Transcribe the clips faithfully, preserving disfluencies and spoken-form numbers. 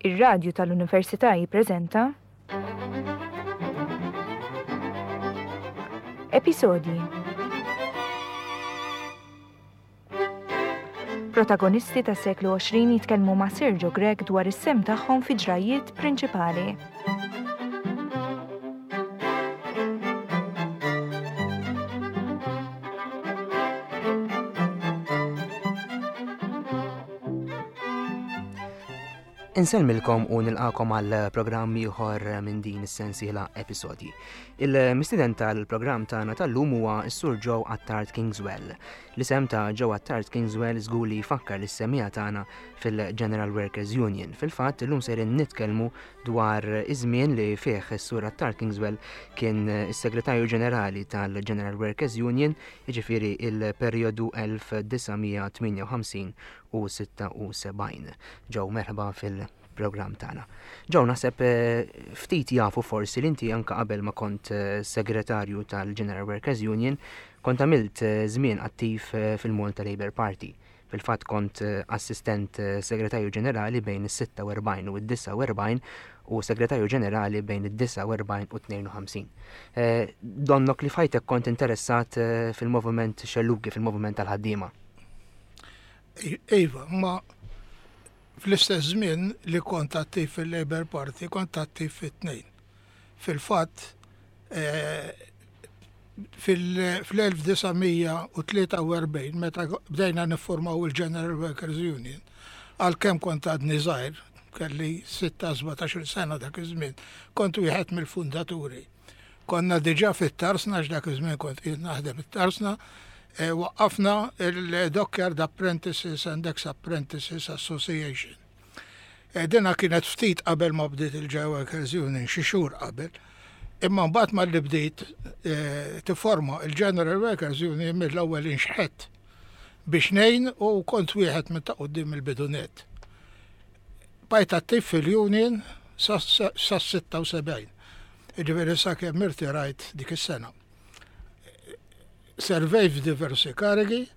Ir-radju tal-Università jippreżenta Episodji. Protagonisti tas-seklu għoxrin jitkellmu ma' Sergio Grech dwar is-sehem tagħhom fi ġrajiet prinċipali. Insellmilkom u nilqakom għal programm ieħor minn din is-sensiela episodji. Il-mistieden tal-programm tagħna tal-lum huwa s-Sur Joe Attard Kingswell. L-isem ta' Joe Attard Kingswell żgur li jfakkar lis-semmiegħa tagħna fil-General Workers Union. Fil-fatt illum sejrin nitkellmu dwar iż-żmien li fih is-Sur Attard Kingswell kien is-Segretarju Ġenerali tal-General Workers Union, jiġifieri il-perjodu elf disa' mija tmienja u ħamsin u sitta u sebgħin. Joe, merħba fil-programm tagħna. Joe, naħseb, eh, ftit jafu forsi li inti anka qabel ma kont, eh, segretarju tal-General Workers Union, kont għamilt, eh, żmien attiv, eh, fil-Malta Labour Party. Fil-fatt kont, eh, assistent, eh, segretarju ġenerali bejn is-sitta u erbgħin u d-disa u erbgħin u segretarju ġenerali bejn id-disa u erbgħin u tnejn u ħamsin. Eh, donnok li fajtek kont interessat, eh, fil-moviment xellugi, fil-moviment tal-ħaddiema. Iva, ma fl-istess żmien li kont attiv fil-Labour Party, kont attiv fit-tnejn. Fil-fatt, eh, fil-, fl-elf disa' mija u tlieta u erbgħin, meta bdejna niffurmaw il-General Workers Union, għalkemm kont għadni żgħir, kelli sitta sbatax-il sena dak iż-żmien, kont wieħed mill-fundaturi. Konna diġà fit-Tarsna, għax dak iż-żmien kont qiegħed naħdem fit-Tarsna, e, waqqafna il-Dockyard Apprentices and Ex-Apprentices Association. E, dina kienet ftit qabel ma bdiet il-General Workers Union, xi xhur qabel. Imma mbagħad malli bdiet, e, tifforma il-General Workers Union mill-ewwel inxħet biex ngħin u kont wieħed minn ta' quddiem il-bidunet. Bajt attiv fil-Union sa, sa, sa sitta u sebgħin. Jiġifieri sakemm irtirajt dik is-sena. Servej f'diversi karigi,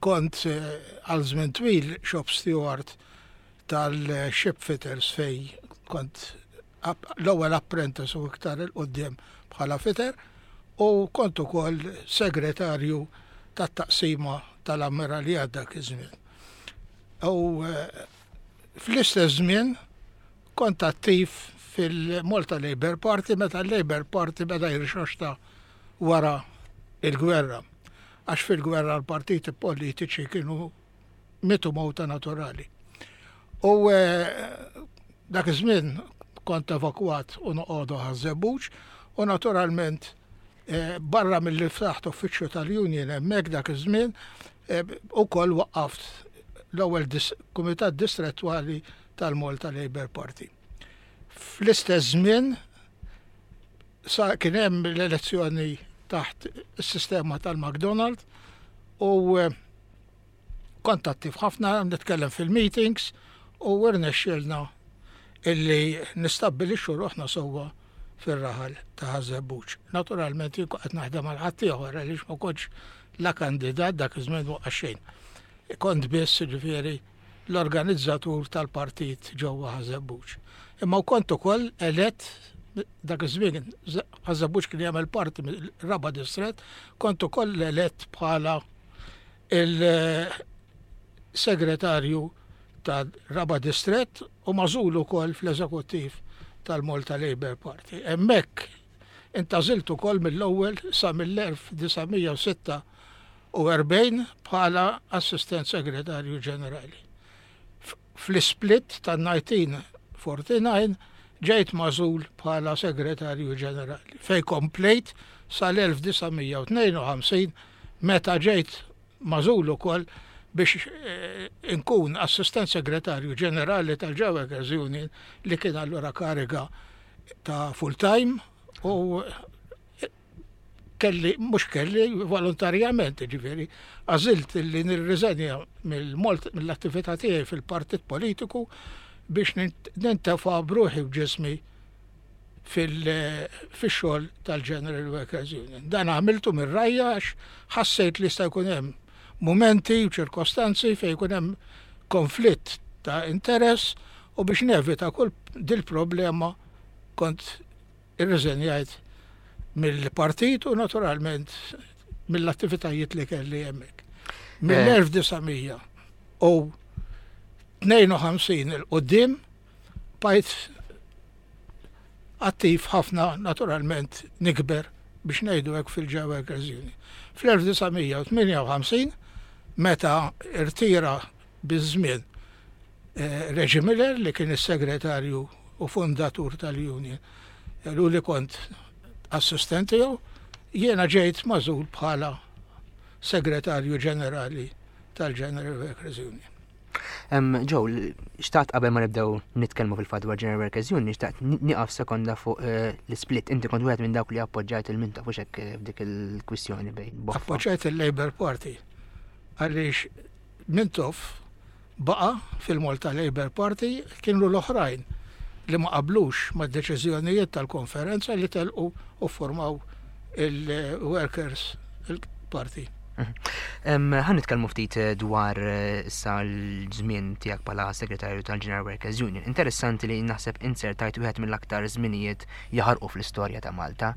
kont, eh, għal żmien twil shop steward tal-ship fitters fej kont ap-, l-ewwel apprentice u iktar il quddiem bħala fitter, u kont ukoll segretarju tat-taqsima tal-ammiraljat dak iż-żmien. U, eh, fl-istess żmien kont attiv fil-Malta Labour Party meta l-Labour Party beda jirxoxta wara il-gwerra. Għax fil-gwerra l-partiti politiċi kienu mitu mowta naturali. U, eh, dak iż-żmien kont evakwat u noqogħdu Ħaż-Żebbuġ u naturalment, eh, barra mill-li ftaħt uffiċċju tal-Union hemmhekk dak iż-żmien, eh, ukoll waqqaft l-ewwel dis-, Kumitat Distrettwali tal-Malta Labour Party. Fl-istess żmien sa kien hemm l-elezzjoni taħt is-sistema tal-McDonald u, eh, kont attiv ħafna, nitkellem fil-meetings u rnexxielna illi nistabbilixxu ruħna sewwa fir-raħal ta' Ħaż-Żebbuġ. Naturalment jien kont qed naħdem għal ħaddieħor għaliex ma kontx la kandidat dak iż-żmien waqqa' xejn. Kont biss ġifieri l-organizzatur tal-partit ġewwa Ħaż-Żebbuġ. Imma kont ukoll elett dak iż-żmien Ħaż-Żebbuġ kien jagħmel parti mill-raba' distrett, kont ukoll elett bħala il-segretarju ta' raba' distrett u magħżul ukoll fl-eżekuttiv tal-Malta Labour Party. Hemmhekk intażilt ukoll mill-ewwel sa mill-elf disa' mija u sitta u erbgħin bħala assistent segretarju ġenerali. F-, fl-split ta' nineteen forty-nine ġejt magħżul bħala segretarju ġenerali, fej komplejt sal-elf disa' mija u tnejn u ħamsin meta ġejt magħżul ukoll biex, eh, inkun assistent segretarju ġenerali tal-General Workers Union li kien allura kariga ta' full time u kelli, mhux kelli volontarjament, ġifieri, għażilt li nirriżenja mill-Malt-, mill-attività tiegħi fil-partit politiku biex nint-, nintefa' bruħi u ġismi fil-, fix-xogħol tal-General Workers Union. Dan għamiltu mir-rajja għax ħassejt li jista' jkun hemm mumenti u ċirkostanzi fejn jkun hemm konflitt ta' interess U biex nevita kull dil-problema kont irriżenjajt mill-partit u naturalment mill-attivitajiet li kelli hemmhekk. Mill-elf disa' mija u tnejn u ħamsin 'il quddiem bqajt attiv ħafna, naturalment nikber biex ngħidu hekk, fil-J Workers Union. Fl-elf disa' mija u tmienja u ħamsin, meta irtira biż-żmien eh, Reggie Miller, li kien is-segretarju u fundatur tal-Union, u li kont assistent tiegħu, jiena ġejt magħżul bħala segretarju ġenerali tal-General Workers Union. Joe, xtaqt qabel ma nibdew nitkellmu fil-fatt dwar General Workers Union, xtaqt nieqaf sekonda fuq eh, l-split. Inti kont wieħed minn dawk li appoġġajt il-Mintoff u hekk eh, f'dik il-kwistjoni bejn Boffa. Appoġġajt il-Labour Party għaliex Mintoff baqa fil-Malta Labour Party. Kienu l-oħrajn li ma qablux ma' deċiżjonijiet tal-konferenza li telqu u formaw il-Workers Party. Ħa nitkellmu ftit eh, dwar eh, issa l-żmien tiegħek bħala segretarju tal-General Workers Union. Interessanti li naħseb inzertajt wieħed mill-aktar żminijiet jaħarqu fl-istorja ta' Malta.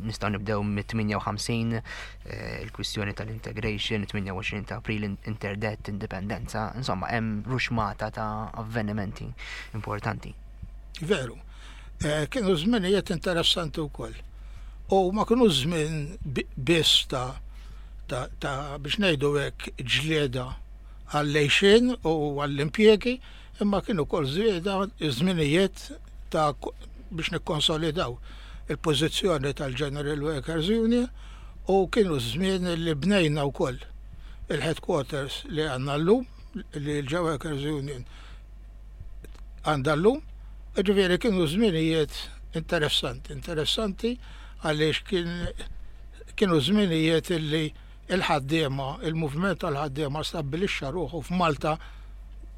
Nistgħu nibdew mit-tmienja u ħamsin, eh, il-kwistjoni tal-integration, tmienja u għoxrin ta' April, interdett, indipendenza, insomma hemm ruxmata ta' avvenimenti importanti. Veru. Kienu żminijiet interessanti wkoll. U ma kienu żmien biss ta' ta', ta biex ngħidu hekk ġlieda għall-għixien u għall-impjegi, imma kienu wkoll żieda żminijiet ta' biex nikkonsolidaw il-pożizzjoni tal-General Workers Union u kienu żmien li bnejna wkoll il-headquarters li għandna llum, li l-J Workers Union għandha llum. Ġifieri kienu żminijiet interessanti, interessanti għaliex kien kienu żminijiet li il-ħaddiema, il-movement tal-ħaddiema stabbilixxa ruħu f'Malta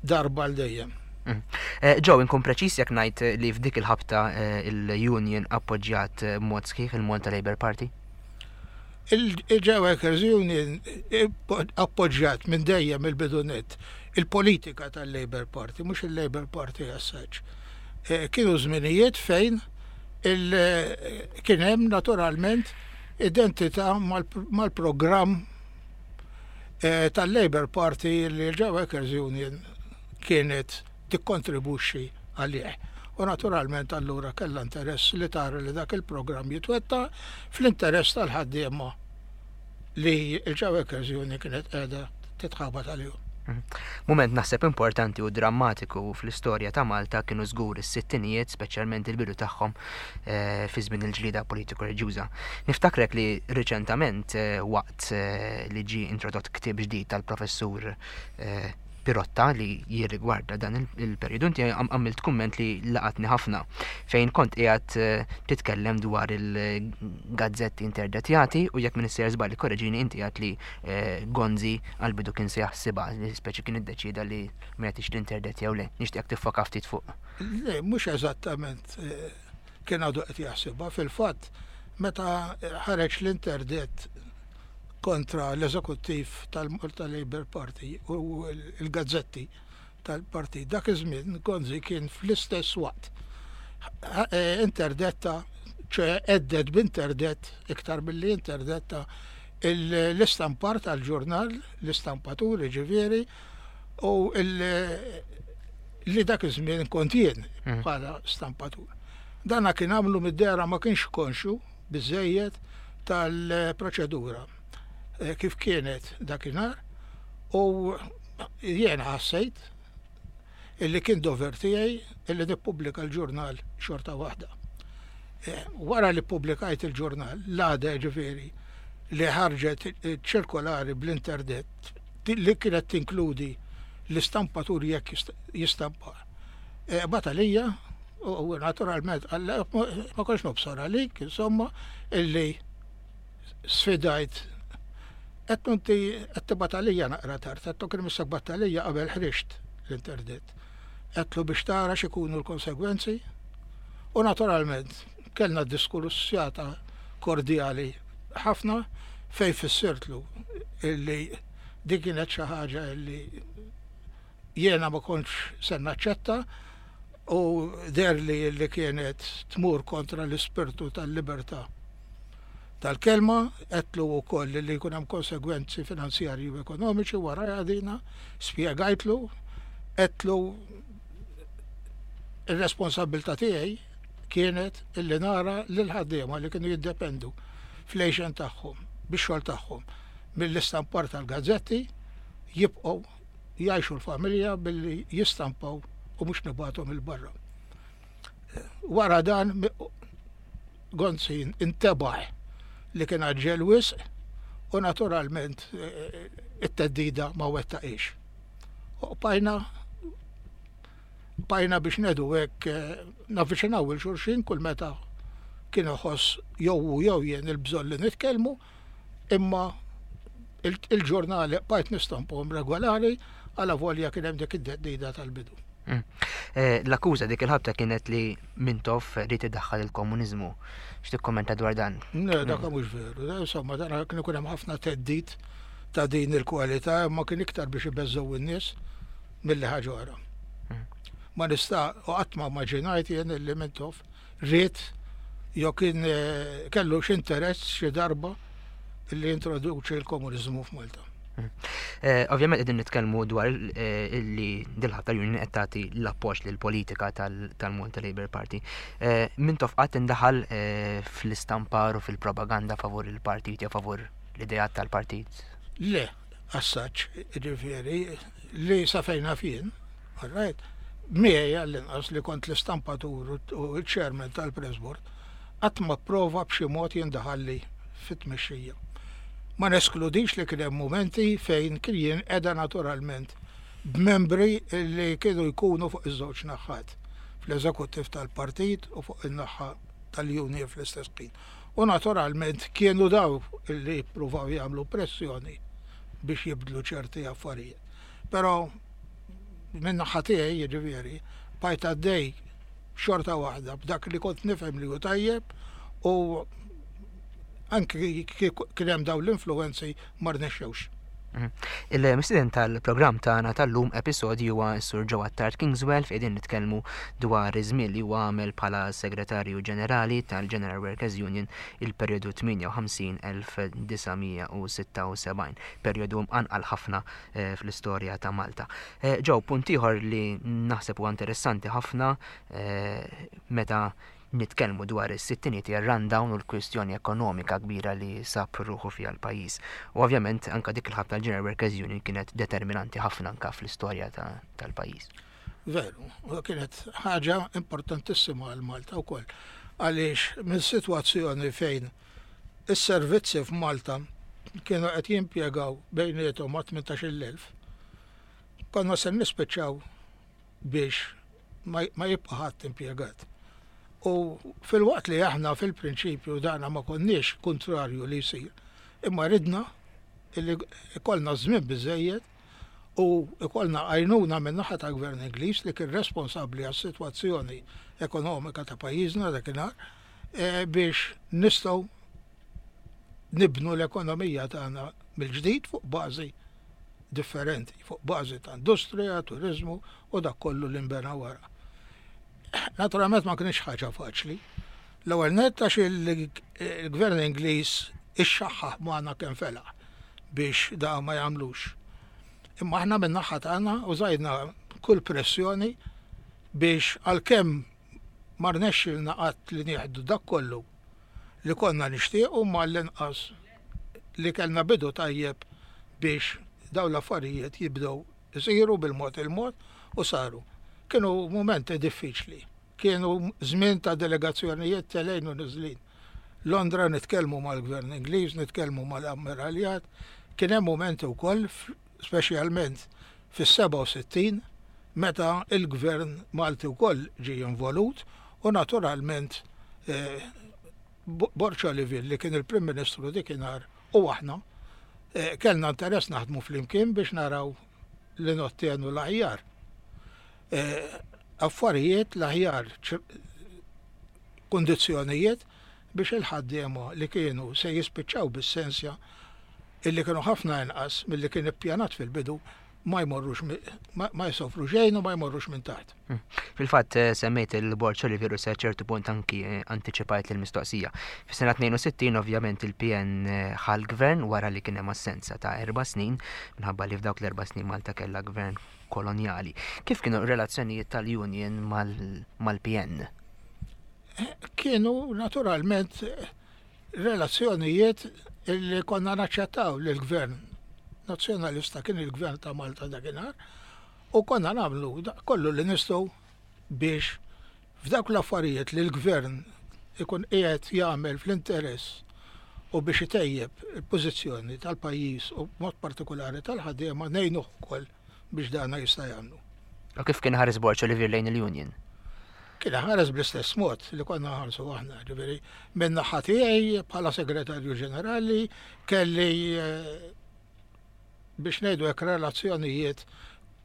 darba għal dejjem. Mm. Eh, Joe, inkun preċis jekk ngħid li f'dik il-ħabta eh, il-Union appoġġjat eh, mod sħiħ il-Malta Labour Party? Il-J Workers Union appoġġjat minn dejjem il-bidu nett il-politika tal-Labour Party, mhux il-Labour Party as such. Kienu żminijiet fejn kien hemm naturalment identità mal-programm eh, tal-Labour Party li l-J Workers Union kienet tikkontribwixxi għalih. U naturalment allura kellha interess li tara li dak il-programm jitwettaq fl-interess tal-ħaddiema li l-J Workers Union kienet qiegħda titħabat għalihom. Mhm. Moment naħseb importanti u drammatiku fl-istorja ta' Malta kienu żgur is-sittinijiet, speċjalment il-bidu tagħhom eh, fi żmien il-ġlida politiko reliġjuża. Niftakrek li riċentament eh, waqt eh, li ġi introdott ktieb ġdid tal-professur Pirotta li jirrigwarda dan il-periodu, inti għamilt kumment li laqatni ħafna fejn kont qiegħed titkellem dwar il-gazzetti interdetjati u, jekk m'iniex sejjer żball, korreġini, inti għedt li Gonzi għal-bidu kien se jaħsibha, li speċi kien iddeċida li ma jagħtix l-interdett jew le. Nixtieq tiffoka ftit fuq. Le, mhux eżattament kien għadu qed jaħsibha. Fil-fatt, meta ħareġ l-interdett kontra l-eżekuttiv tal-Malta Labour Party u l-gazzetti tal-partit, dak iż-żmien Gonzi kien fl-istess waqt interdetta, ċe hedded b'interdett iktar billi interdetta l-istampar tal-ġurnal, l-istampaturi ġifieri, u li dak iż-żmien kont jien mhm. bħala stampatur. Dana kien għamlu mid-dehra ma kienx konxu biżejjed tal-proċedura eh, kif kienet dakinhar u jiena ħassejt illi kien dover tiegħi illi nippubblika l-ġurnal xorta waħda. Eh, wara li pubblikajt il-ġurnal, l-għada ġifieri li ħarġet ċirkolari bl-interdett li kienet tinkludi l-istampatur jekk jistampa. Eh, batalija, u naturalment ma kontx nobsor għalik, insomma, illi sfidajt. Għedtlu, "Inti qed battalija naqra tard," għedtlu, "kien imissek battalija qabel ħriġt l-interdett." Għedtlu, "Biex tara x'ikunu l-konsegwenzi." U naturalment kellna diskussjata kordjali ħafna fej fissirtlu illi dik kienet xi ħaġa illi jiena ma kontx se naċċetta. U deher li li kienet tmur kontra l-ispirtu tal-libertà tal-kelma. Għedtlu wkoll li jkun hemm konsegwenzi finanzjarji u ekonomiċi wara dina, spjegajtlu, għedtlu ir-responsabilità tiegħi kienet illi nara lil ħaddiema li kienu jiddependu fl-għixien tagħhom, bix-xogħol tagħhom, mill-istampar tal-gazzetti, jibqgħu jgħixu l-familja billi jistampaw u mhux nibgħathom 'il barra. Wara dan Gonzi intebaħ li kien għaġġel wisq u naturalment eh, it-theddida ma wettaqhiex. U bqajna bqajna biex ngħidu hekk eh, navviċinaw lil xulxin kull meta kien iħoss jew hu jew jien il-bżonn li nitkellmu, imma il-ġurnali bqajt nistampahom regolari għala volja kien hemm dik id-theddida tal-bidu. Mm. Eh, l-akkuża dik il-ħabta kienet li Mintoff ried idaħħal il-komuniżmu. X'tikkommenta dwar dan? Ne, dak mhux veru. Insomma, dan kien ikun hemm ħafna theddid ta' din il-kwalità, imma kien iktar biex ibeżżgħu in-nies milli ħaġa oħra. Mm. Ma nista' u qatt ma immaġinajt jien li Mintoff ried jew kien eh, kellu x'interess xi darba li introduċi l-komuniżmu f'Malta. Eh, ovvjament qegħdin nitkellmu dwar eh, li dil-ħabta l-Union qed tagħti l-appoġġ lill-politika tal-Malta Labour Party. Eh, Mintoff qatt indaħal fl-istampar u fil-propaganda favur il-partit jew favur l-ideat tal-partit? Le, assaċ, ġifieri, li sa fejn naf jien, all right, miegħi għall-inqas li kont l-istampatur u l-chairman tal-Press Board, qatt ma prova b'xi mod jindaħalli fit-tmexxija. Ma neskludix li kien hemm momenti fejn kien jinqeda naturalment b'membri li kienu jkunu fuq iż-żewġ naħat, fl-eżekuttiv tal-partit u fuq in-naħa tal-union fl-istess ħin. U naturalment kienu daw li jippruvaw jagħmlu pressjoni biex jibdlu ċerti affarijiet. Però minn naħa tiegħi, jiġifieri, bqajt għaddej xorta waħda b'dak li kont nifhem li hu tajjeb u anki kien hemm dawn l-influenzi ma rnexxewx. Mhm. Il-mistieden tal-programm tagħna tal-lum episodju huwa s-Sur Joe Attard Kingswell, fejn nitkellmu dwar iż-żmien li huwa għamel bħala Segretarju Ġenerali tal-General Workers Union il-perjodu tmienja u ħamsin-elf disa' mija u sitta u sebgħin, perjodu mqanqal ħafna eh, fl-istorja ta' Malta. Eh, Joe, punt ieħor li naħseb huwa interessanti ħafna eh, meta nitkellmu dwar is-sittiniet hija rundown u l-kwistjoni ekonomika kbira li sab ruħu fiha l-pajjiż. U ovvjament anka dik il-ħabta tal-General Workers Union kienet determinanti ħafna anka fl-istorja tal-pajjiż. Veru, u kienet ħaġa importantissima għal Malta wkoll. Għaliex minn sitwazzjoni fejn is-servizzi f'Malta kienu qed jimpjegaw bejniethom ma' tmintax-il elf, konna se nispiċċaw biex ma ma jibqa' ħadd impjegat. U filwaqt li aħna fil-prinċipju dana ma konniex kontrarju li jsir, imma ridna illi ikollna żmien biżejjed u ikollna għajnuna minn naħa ta' gvern Ingliż li kien responsabbli għas-sitwazzjoni ekonomika ta' pajjiżna dakinhar eh, biex nistgħu nibnu l-ekonomija tagħna mill-ġdid fuq bażi differenti, fuq bażi ta' industrija, turizmu u dak kollu li nbena wara. Naturalment ma kienx ħaġa faċli. L-ewwel nett għax il-gvern Ingliż ixxaħħaħ magħna kemm felaħ biex da ma jagħmlux. Imma aħna minn naħa tagħna użajna kull pressjoni biex, għalkemm ma rnexxilna qatt li nieħdu dak kollu li konna nixtiequ, ma l-inqas li kellna bidu tajjeb biex dawn l-affarijiet jibdew isiru bil-mod il-mod, u saru. Kienu momenti diffiċli. Kienu żmien ta' delegazzjonijiet telgħin u niżlin. Londra, nitkellmu mal-gvern Ingliż, nitkellmu mal-ammiraljat. Kien hemm momenti wkoll, speċjalment fis-sebgħa u sittin, meta il-gvern Malti wkoll ġie involut u naturalment eh, Borg Olivier, li kien il-Prim Ministru dikinhar, u aħna eh, kellna interess naħdmu flimkien biex naraw li nottjenu l-aħjar Eh, affarijiet, l-aħjar kondizzjonijiet biex il-ħaddiema li kienu se jispiċċaw bis-sensja, illi kienu ħafna inqas milli kien ippjanat fil-bidu, ma jmorrux ma jsofru xejn u ma jmorrux minn taħt. Hmm. Fil-fatt eh, semmejt il-Borg Olivier u sa ċertu punt anki eh, antiċipajt l-mistoqsija. Fis-sena tnejn u sittin ovvjament il-P N eh, ħa l-gvern wara li kien hemm assenza ta' erba' snin minħabba li f'dawk l-erba' snin Malta kellha gvern kolonjali. Kif kienu relazzjonijiet tal-Union mal-P N? Kienu naturalment relazzjonijiet li konna naċċettaw li l-gvern nazzjonalista kien il-gvern ta' Malta dakinhar u konna nagħmlu kollu li nistgħu biex f'dawk l-affarijiet li l-gvern ikun qiegħed jagħmel fl-interess u biex itejjeb il-pożizzjoni tal-pajjiż u mod partikolari tal-ħaddiema, ngħinuh ukoll biex dana jista' jagħmlu. U kif kien ħares Borg Olivier lejn il-Union? Kien ħares bl-istess mod li konna ħarsu aħna, ġifieri minn naħa tiegħi bħala segretarju ġenerali kelli eh, biex ngħidu hekk relazzjonijiet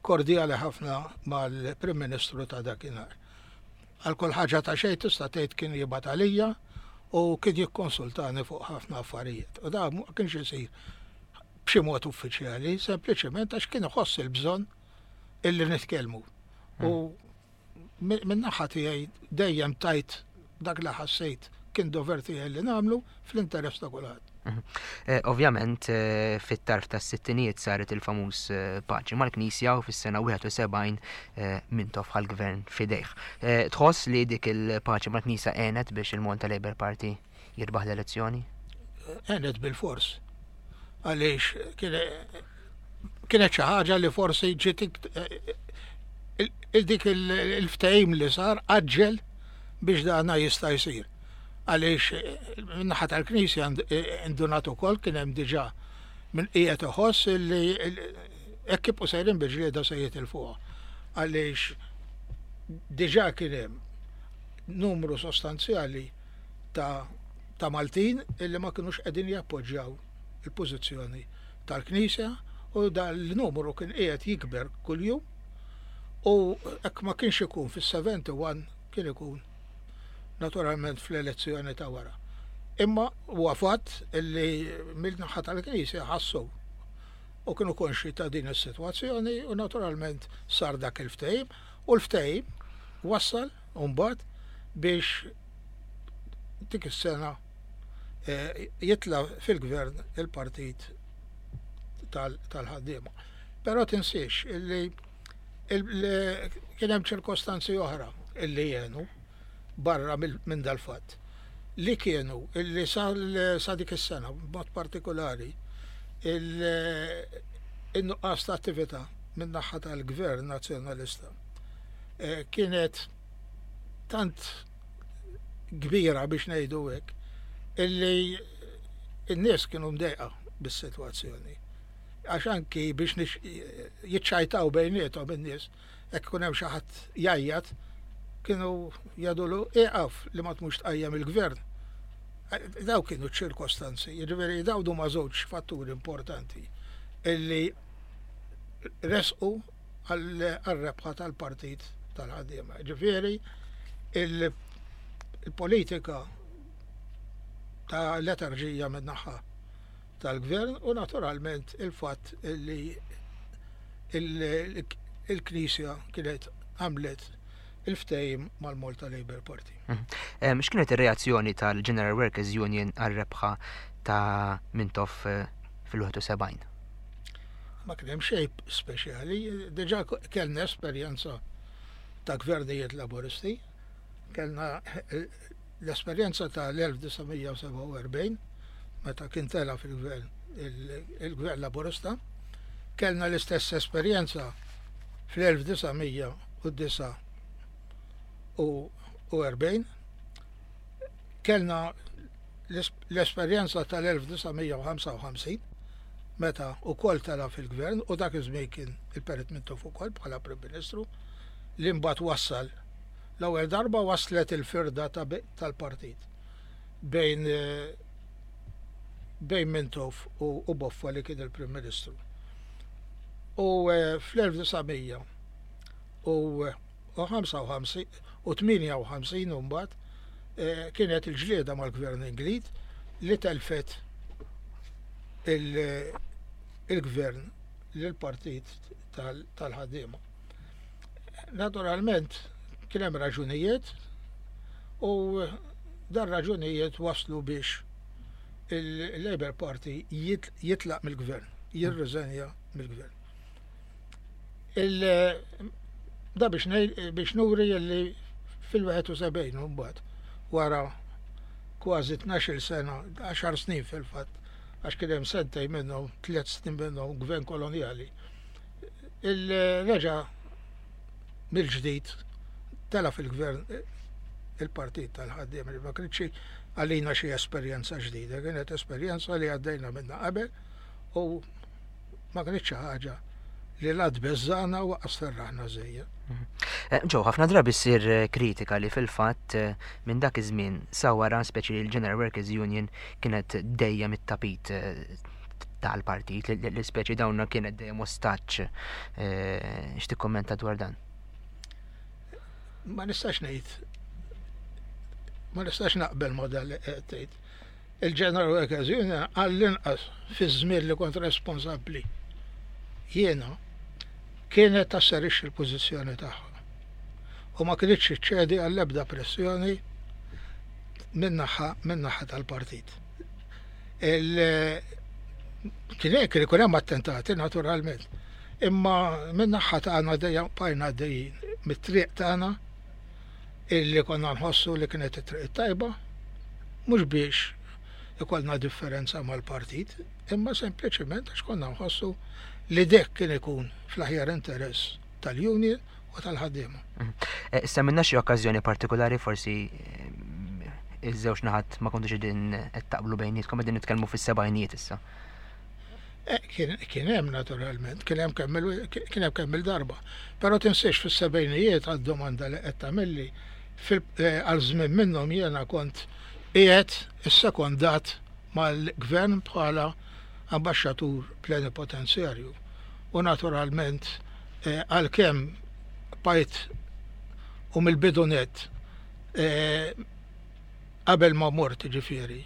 kordjali ħafna mal-Prim Ministru ta' dakinhar. Għal kull ħaġa ta' xejn tista' tgħid kien jibgħat għalija u kien jikkonsultani fuq ħafna affarijiet. U da ma kienx isir b'xi mod uffiċjali, sempliċement għax kien iħoss il-bżonn illi nitkellmu. U minn naħa tiegħi dejjem tajt dak li ħassejt kien dover tiegħi li nagħmlu fl-interess ta' kulħadd. Mhm. Eh, ovvjament eh, fit-tarf tas-sittinijiet saret il-famuż eh, paċi mal-Knisja u fis-sena wieħed u sebgħin Mintoff ħa l-gvern f'idejh. Tħoss li dik il-paċi mal-Knisja għenet biex il-Malta Labour Party jirbaħ l-elezzjoni? Għenet bil-fors. Għaliex kienet xi ħaġa li forsi ġiet dik il-ftehim li sar għaġġel biex dana jista' jsir, għaliex eh, min-naħa tal-Knisja indunat ukoll kien hemm diġà min qiegħed iħoss li hekk kif sejrin bil-ġlieda se jitilfuha. Għaliex diġà kien hemm numru sostanzjali ta' ta' Maltin illi ma kinux qegħdin jappoġġjaw il-pożizzjoni tal-Knisja u dal-numru kien qiegħed jikber kuljum u hekk ma kienx ikun fis-sebgħa u sebgħin, kien ikun naturalment fl-elezzjoni ta' wara. Imma huwa fatt illi mill-naħa tal-Knisja ħassu u kienu konxi ta' din is-sitwazzjoni u naturalment sar dak il-ftehim u l-ftehim wassal mbagħad biex dik is-sena eh, jitla fil-gvern il-partit tal-ħaddiema. Però tinsiex illi kien hemm ċirkostanzi oħra illi jenu barra minn dal-fatt li kienu illi sa dik is-sena b'mod partikolari il-nuqqas ta' attività minn naħa tal-gvern nazzjonalista eh, kienet tant kbira, biex ngħidu hekk, illi n-nies kienu mdejqa bis-sitwazzjoni. Għax anki biex jiċċajtaw bejniethom in-nies, hekk kun hemm xi ħadd jgħajjat, kienu jgħidulu, "Ieqaf li ma tmux tqajjem il-gvern." Daw kienu ċirkostanzi, jiġifieri daw huma żewġ fatturi importanti illi resqu għal-rebħa tal-partit tal-ħaddiema. Ġifieri il-politika ta' letarġija min-naħa tal-gvern u naturalment il-fatt illi il-Knisja kienet għamlet il-ftehim mal-Malta Labour Party. Mhm. X'kienet ir-reazzjoni tal-General Workers Union għal-rebħa ta' Mintoff eh, fil-wieħed u sebgħin? Ma kien hemm xejn speċjali, diġà kellna esperjenza ta' gvernijiet laboristi, kellna eh, l-esperjenza ta' l-elf disa' mija u sebgħa u erbgħin meta kien tela fil-gvern il-gvern laborista, kellna l-istess esperjenza fl-elf disa' mija u disgħa u erbgħin, kellna l-esperjenza tal-elf disa' mija u ħamsa u ħamsin meta ukoll tela fil-gvern u dak iż-żmien kien il-Perit Mintoff ukoll bħala Prim Ministru, li mbagħad wassal l-ewwel darba waslet il-firda tal-partit bejn eh, bejn Mintoff u Boffa li kien il-Prim Ministru. U eh, fl-elf disa' mija u ħamsa u ħamsin u tmienja u ħamsin mbagħad eh, kienet il-ġlieda mal-Gvern Ingliż li telfet il-gvern lill-partit tal-ħaddiema. Naturalment kien hemm raġunijiet u dan raġunijiet waslu biex il-Labour Party jitlaq mill-gvern, jirriżenja mill-gvern. Da biex biex nuri li fil-wieħed u sebgħin mbagħad wara kważi tnax-il sena, għaxar snin fil-fatt, għax kien hemm sentejn minnhom, tliet snin minnhom gvern kolonjali. Il-reġa mill-ġdid tela fil-gvern il-partit tal-ħaddiem li ma kienx għalina xi esperjenza ġdida, kienet esperjenza li għaddejna minna qabel u ma kienx xi ħaġa li la tbeżżana u lanqas ferraħna żejjed. Ġew, ħafna drabi ssir kritika li fil-fatt minn dak iż-żmien sa wara speċi l-General Workers Union kienet dejjem it-tapit tal-partit, li speċi dawna kienet dejjem ostaġġ. X'tikkommenta dwar dan? Ma nistax ngħid, ma nistax naqbel ma dan li qed tgħid. Il-General Workers Union għall-inqas fi żmien li kont responsabbli jiena kienet tasserixxi l-pożizzjoni tagħha. U ma kienx iċċedi għall-ebda pressjoni min-naħa min-naħa tal-partit. Kien hekk li ikun hemm attentati naturalment, imma min-naħa tagħna dejjem bqajna għaddejjin mit-triq tagħna illi konna nħossu li kienet it-triq tajba, mhux biex ikollna differenza mal-partit, imma sempliċement għax konna nħossu li dek kien ikun fl-aħjar interess tal-union u tal-ħaddiema. Semmilna xi okkażjoni partikolari, forsi iż-żewġ naħat ma kontux qegħdin qed taqblu bejnietkom, qegħdin nitkellmu fis-sebgħinijiet issa. Kien hemm naturalment, kien hemm kien hemm kemm il-darba. Però tinsiex fis-sebgħinijiet għad-domanda li qed tagħmilli għal żmien minnhom jiena kont qiegħed issekondat mal-gvern bħala ambaxxatur plenipotenzjarju. U naturalment għalkemm bajt u mill-bidunet qabel ma mort ġifieri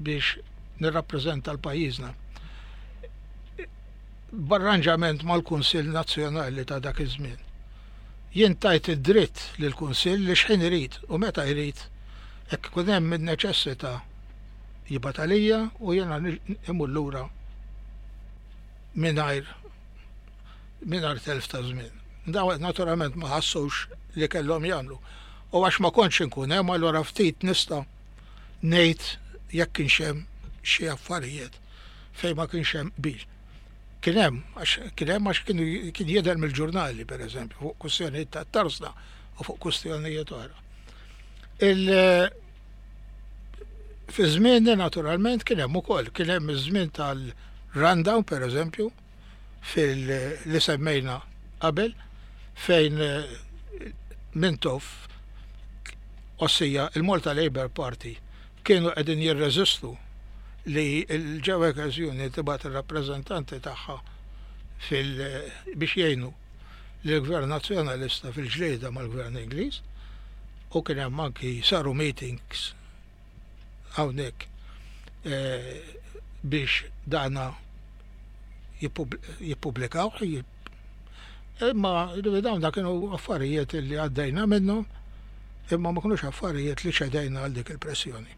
biex nirrappreżenta l-pajjiżna, b'arranġament mal-Kunsill Nazzjonali ta' dak iż-żmien. Jien tajt id-dritt lill-Kunsill li x'ħin irid u meta jrid hekk ikun hemm in-neċessità jibgħat għalija u jiena imur lura mingħajr mingħajr telf ta' żmien. Daw naturalment ma ħassux li kellhom jagħmlu. U għax ma kontx inkun hemm, allura ftit nista' ngħid jekk kienx hemm xi affarijiet fejn ma kienx hemm qbil. Kien hemm, għax kien hemm għax kien jidher mill-ġurnali, pereżempju, fuq kwistjonijiet ta' tarsna u fuq kwistjonijiet oħra. Il fi żmienni naturalment kien hemm ukoll, kien hemm iż-żmien tal-rundown pereżempju, fil li semmejna qabel, fejn Mintoff, ossia il-Malta Labour Party, kienu qegħdin jirreżistu li l-General Workers Union tibgħat ir-rappreżentanti tagħha biex jgħinu lill-Gvern Nazzjonalista fil-ġlieda mal-Gvern Ingliż, u kien hemm anki saru meetings hawnhekk biex dana jippubblikaw. Imma dawn da kienu affarijiet li għaddejna minnhom, imma ma kinux affarijiet li ċedejna għal dik il-pressjoni.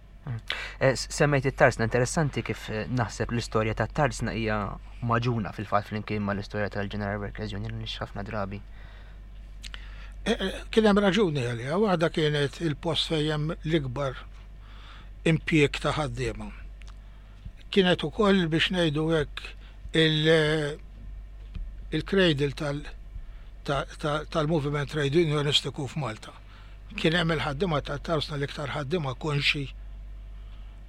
Semmejt it-tarsna, interessanti kif naħseb l-istorja tat-tarsna hija maġuna fil-fatt flimkien mal-istorja tal-General Workers Union li ħafna drabi. Kien hemm raġuni għaliha, waħda kienet il-post fejn hemm l-ikbar impjieg ta' ħaddiema. Kienet ukoll biex ngħidu hekk il-cradle tal-moviment trade unionistiku f'Malta. Kien hemm il-ħaddiema tat-tarsna l-iktar ħaddiema konxi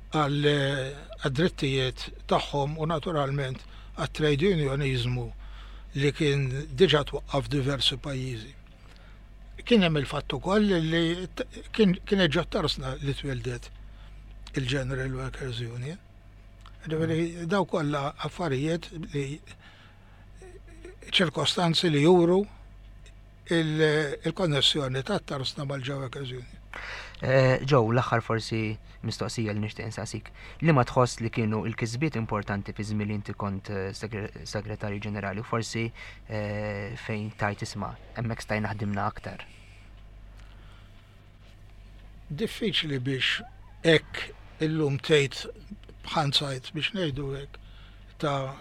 għad-drittijiet tagħhom u naturalment għat-trade unionizmu li kien diġà twaqqaf f'diversi pajjiżi. Kien hemm il-fatt ukoll li kienet ġo tarsna li twildet il-General Workers Union. Ġifieri daw kollha affarijiet li ċirkostanzi li juru il-konnessjoni tat-tarsna mal-General Workers Union. Eh, Joe, l-aħħar forsi mistoqsija li nixtieq insaqsik. Li ma tħoss li kienu il-kisbiet importanti fi żmien li inti kont eh, segretarju ġenerali u forsi eh, fejn tajt isma' hemmhekk stajna ħdimna aktar? Diffiċli biex hekk illum tgħid b'hindsight biex ngħidu hekk ta'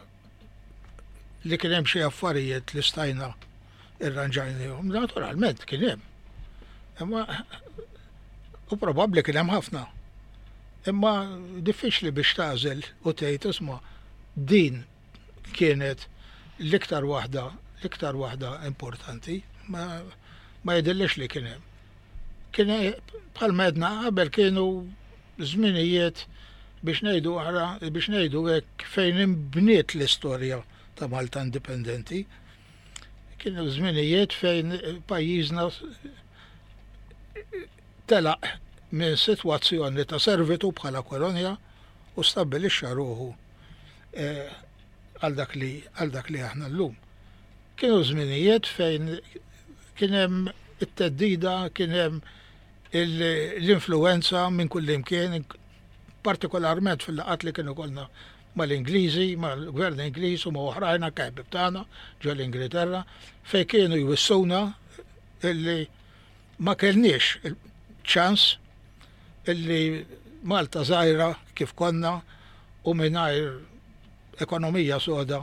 li kien hemm xi affarijiet li stajna irranġajnihom. Naturalment kien hemm. Imma u probabbli kien hemm ħafna. Imma diffiċli biex tagħżel u tgħid isma' din kienet l-iktar waħda l-iktar waħda importanti, ma, ma jidhirlix li kien hemm. Kien bħalma għedna qabel kienu żminijiet biex ngħidu ara biex ngħidu hekk fejn inbniet l-istorja ta' Malta Indipendenti. Kienu żminijiet fejn pajjiżna telaq minn sitwazzjoni ta' servitu bħala kolonja u stabbilixxa ruħu eh, għal dak li għal dak li aħna llum. Kienu żminijiet fejn kien hemm it-theddida, kien hemm l-influenza minn kull imkien, partikolarment fil-laqgħat li kienu kellna mal-Ingliżi, mal-Gvern Ingliż u ma' oħrajn anke ħbieb tagħna ġo l-Ingilterra, fejn kienu jwissuna illi ma kellniex ċans illi Malta żgħira kif konna u mingħajr ekonomija soda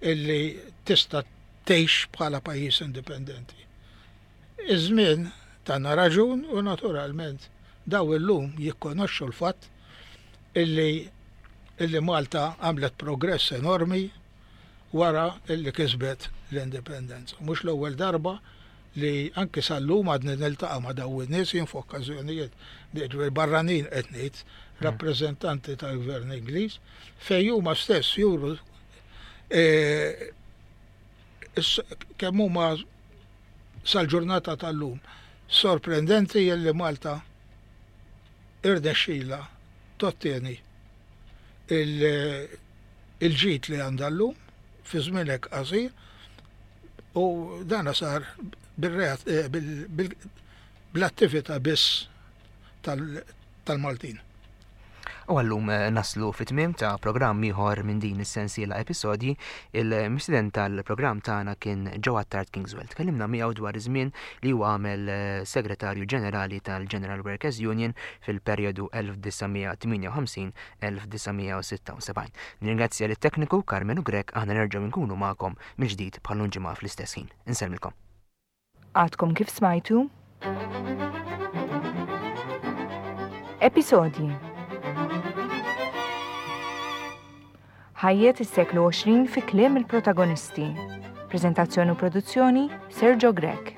illi tista' tgħix bħala pajjiż indipendenti. Iż-żmien tana raġun u naturalment daw illum jikkonoxxu l-fatt illi illi Malta għamlet progress enormi wara illi kisbet l-indipendenza. Mhux l-ewwel darba li anki sal-lum għadni niltaqa' ma' daw in-nies jien f'okkażjonijiet barranin qed ngħid rappreżentanti tal-Gvern Ingliż fejn huma stess juru e, kemm huma sal-ġurnata tal-lum sorprendenti illi Malta irnexxila tottieni il-ġid li għandha llum fi żmien hekk qasir u dana sar eh, bl-attività biss tal-Maltin. U għallum eh, naslu fit-tmiem ta' programm ieħor minn din is-sensiela episodji, il-mistieden tal-programm tagħna kien Joe Attard Kingswell. Tkellimna miegħu dwar iż-żmien li huwa għamel eh, segretarju ġenerali tal-General Workers Union fil-perjodu elf disa' mija tmienja u ħamsin elf disa' mija u sitta u sebgħin. Nirringrazzja lit-tekniku Carmenu Grech, aħna nerġgħu nkunu magħkom mill-ġdid bħal ġimgħa fl-istess ħin. Insellmilkom. Għadkom kif smajtu? Episodji. Ħajjet is-seklu għoxrin fi kliem il-protagonisti. Prezentazzjoni u produzzjoni Sergio Grech.